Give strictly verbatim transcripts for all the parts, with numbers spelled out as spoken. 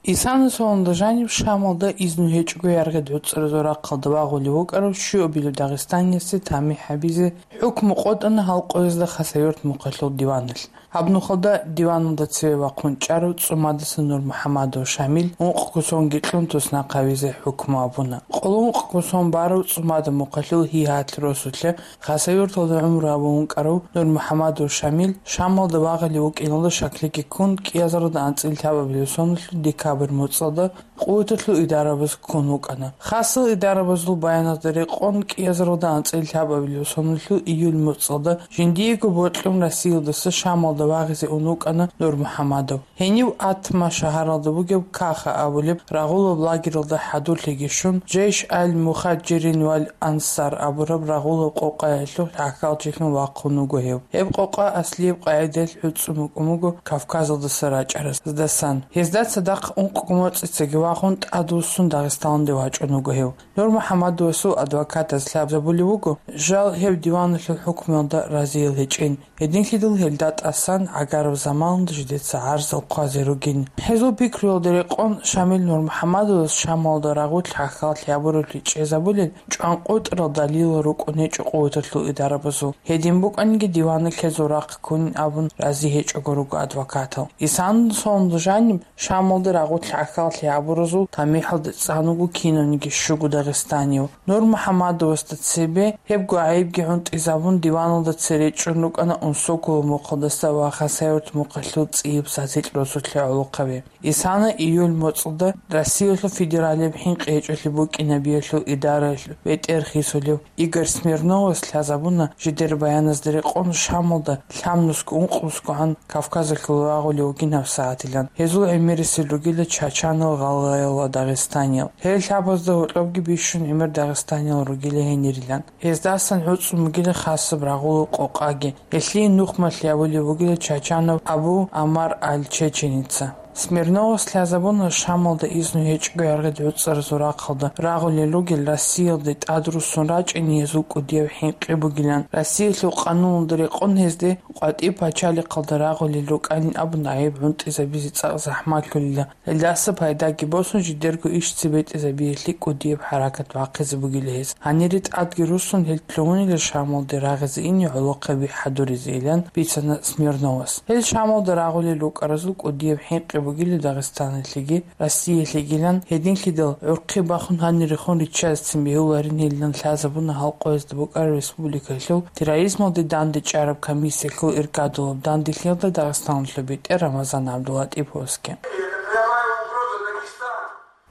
Исана соналда жаниб Шамалда изну гьечӀого яргъи гӀуцӀаразул рахъалда вагъулев вукӀарав щуабилев дагъистаниясе тамихӀ гьабизе хӀукму къотӀана гьал къоязда Хасавюрт мухъалъул диваналъ. Гьаб нухалда диваналда цеве вахъун чӀарав ЦӀумадаса Нурмухьамадов Шамил ункъго сонги кьун туснахъ гьавизе хӀукму абуна. Къоло ункъго сон барав ЦӀумада мухъалъул ГьигьатӀ росулъа Хасавюрталда гӀумру гьабун вукӀарав Нурмухьамадов Шамил Шамалда вагъулев вукӀиналда шаклъиги ккун, кӀиазаралда анцӀила лъабабилеб соналъул декабрь муцӀалда къуваталъул идарабаз ккун вукӀана. Хасал идарабазул баяназда рекъон, кӀиазаралда анцӀила лъабабилеб соналъул июль муцӀалда жиндиего бокьун Россиялдаса Шамалда вагъизе ун вукӀана Нурмухьамадов. Гьенив Атма шагьаралда бугеб Каха абулеб рагъулаб лагералда хӀадурлъиги щун, Жейш аль-Мухаджирин валь Ансар абураб рагъулаб къокъаялъул гӀахьалчилъун вахъун вуго гьев. Гьеб къокъа аслияб къагӀидаялъ гӀуцӀун букӀун буго Кавказалдаса рачӀараздасан. Гьезда цадахъ ункъго моцӀицаги вахъун тӀадвуссун Дагъистаналде вачӀун вуго гьев. Нурмухьамадовасул адвокатаз лъабзабулев вуго, жал гьев диваналъул хӀукмуялда разиял гьечӀин. Гьединлъидал гьелда тӀасан гӀагараб заманалда жидеца гӀарзал хъвазе ругин. Гьезул пикруялда рекъон Шамил Нурмухьамадовас Шамалда рагъулъ гӀахьаллъи гьабураблъи чӀезабулел чӀванкъотӀарал далилал рукӀун гьечӀо къуваталъул идарабазул. Гьедин букӀаниги диваналъ гьезул рахъ ккунин абун рази гьечӀого руго адвокатал. Исана соналда жаниб Шамалда рагъулъ гӀахьаллъи гьабуразул тамихӀалда цӀан вуго кинавниги щуго дагъистанияв. Нурмухьамадовасда цебе гьебго гӀайибги гӀунтӀизабун, диваналда цере чӀун рукӀана Унсоколо мухъалдаса ва Хасавюрт мухъалъул цӀияб СацилӀ росулъе гӀолохъаби. Исана июль моцӀалда Россиялъул федералияб хӀинкъи гьечӀолъи букӀинабиялъул идараялъул бетӀер хисулев Игорь Смирновас лъазабуна жидер баяназда рекъон Шамалда лъабнусго-ункънусгогӀан Кавказалъул вагъулев вугин гьабсагӀатилан. Гьезул гӀемерисел ругила чачанал, гъалгъаял ва дагъистаниял. Гьел лъабазда гьоркьобги бищун гӀемер дагъистаниял ругила гьенирилан. Гьездасан гӀуцӀун бугила хасаб рагъулаб къокъаги, гьелъие нухмалъи абулеб бугила чачанав Абу Амар аль-Чеченица. Смирновас лъазабуна Шамалда изну гьечӀого яргъи гӀуцӀаразул рахъалда рагъулел ругел Россиялде тӀадруссун рачӀине гьезул кӀудияб хӀинкъи бугилан, Россиялъул къануналда рекъон гьезде къватӀиб пачалихъалда рагъулел рукӀанин абун гӀайиб гӀунтӀизабизе цӀакъ захӀмалъулила. Гьелдаса пайдаги босун, жидерго иш цебетӀезабиялъе кӀудияб хӀаракат бахъизе бугила гьез. Гьанире тӀадги руссун, гьел лъугьунила Шамалде рагъизе ине гӀолохъаби хӀадуризейилан бицана Смирновас. Гьел Шамалда рагъулел рукӀаразул кӀудияб хӀинкъи бугила Дагъистаналъеги Россиялъегилан, гьединлъидал гӀурхъи бахун гьанирехун риччазецин бегьуларин гьелилан лъазабуна гьал къоязда букӀараб республикалъул терроризмалде дандечӀараб комиссиялъул иргадулаб данделъиялда Дагъистаналъул бетӀер Рамазан ГӀабдулатӀиповасги.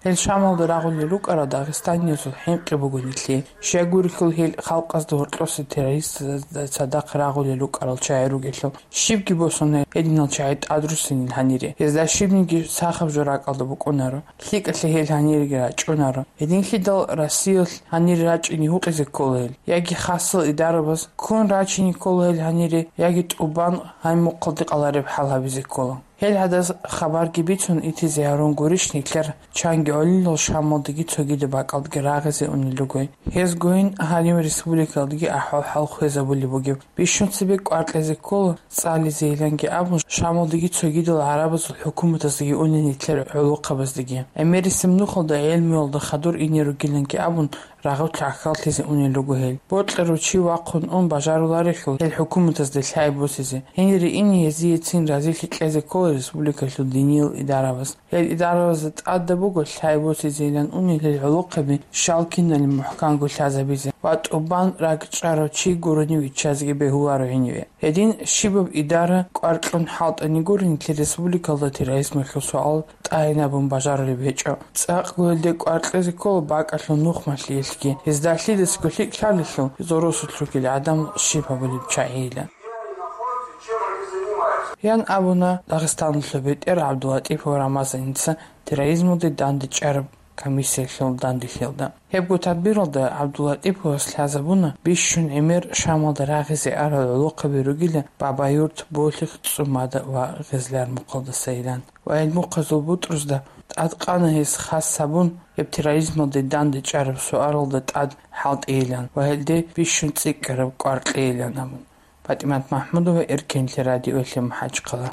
Гьел Шамалда рагъулел рукӀарал дагъистаниязул хӀинкъи буго нилъее. Щай гурелъул гьел халкъазда гьоркьоса террористазда цадахъ рагъулел рукӀарал чагӀи ругелъул. Щибги босун гьединал чагӀи тӀадруссинин гьанире. Гьезда щибниги сахаб жо ракӀалда букӀунаро. ЛъикӀалъе гьел гьаниреги рачӀунаро. Гьединлъидал Россиялъ гьанире рачӀине гьукъизе ккола гьел. Яги хасал идарабаз ккун рачине ккола гьел гьанире, яги тӀубан гьай мухъалде къалареб хӀал гьабизе ккола. Гьел гьадаз хабарги бицун итизе гьарун гурищ нилъер чанги гӀолилал Шамалдеги цогидаб бакӀалдеги рагъизе унел ругой. Гьезгойин гьанив республикалдеги ахӀвал-хӀал хвезабулеб бугеб. Бищун цебе кӀвар кьезе ккола, цӀализейиланги абун, Шамалдеги цогидал гӀарабазул хӀукуматаздаги унел нилъер гӀолохъабаздаги. ГӀемерисеб нухалда гӀелмуялда хадур ине ругиланги абун, рагъулъ гӀахьаллъизе унел руго гьел. Бокьарав чи вахъун ун бажаруларелъул гьел хӀукуматазда лъай босизе. Гьенире ине гьезиецин разилъи кьезе ккола республикалъул диниял идарабаз. Гьел идарабазда тӀадаб буго лъай босизейилан унел гьел гӀолохъаби щал киналин мухӀканго лъазабизе ва тӀубан ракӀчӀарав чи гурони виччазеги бегьуларо гьениве. Гьедин щибаб идара кӀвар кьун хӀалтӀани гуро нилъер республикалда терроризмалъул суал тӀагӀинабун бажарулеб гьечӀо. ЦӀакъго гьелде кӀвар кьезе ккола бакӀалъул нухмалъиялъги, гьезда лъидасго лъикӀ лъалелъул, гьезул росулъ ругел гӀадамал щиб гьабулеб чагӀийилан. Ян абуна Дагъистаналъул бетӀер ГӀабдулатӀипов Рамазаница терроризмалде дандечӀараб комиссиялъул данделъиялда. Гьебго тадбиралда ГӀабдулатӀиповас лъазабуна бищун гӀемер Шамалда рагъизе арал гӀолохъаби ругила Бабаюрт, Болъих, ЦӀумада ва Гъезлар мухъалдасайилан. Ва гьел мухъазул бутӀрузда тӀадкъана гьес хас гьабун, гьеб терроризмалде дандечӀараб суаралда тӀад хӀалтӀейилан ва гьелде бищун цӀикӀкӀараб кӀвар кьейилан абун. ПатӀимат МахӀмудова, Эркенлъи радиоялъе МахӀачхъала.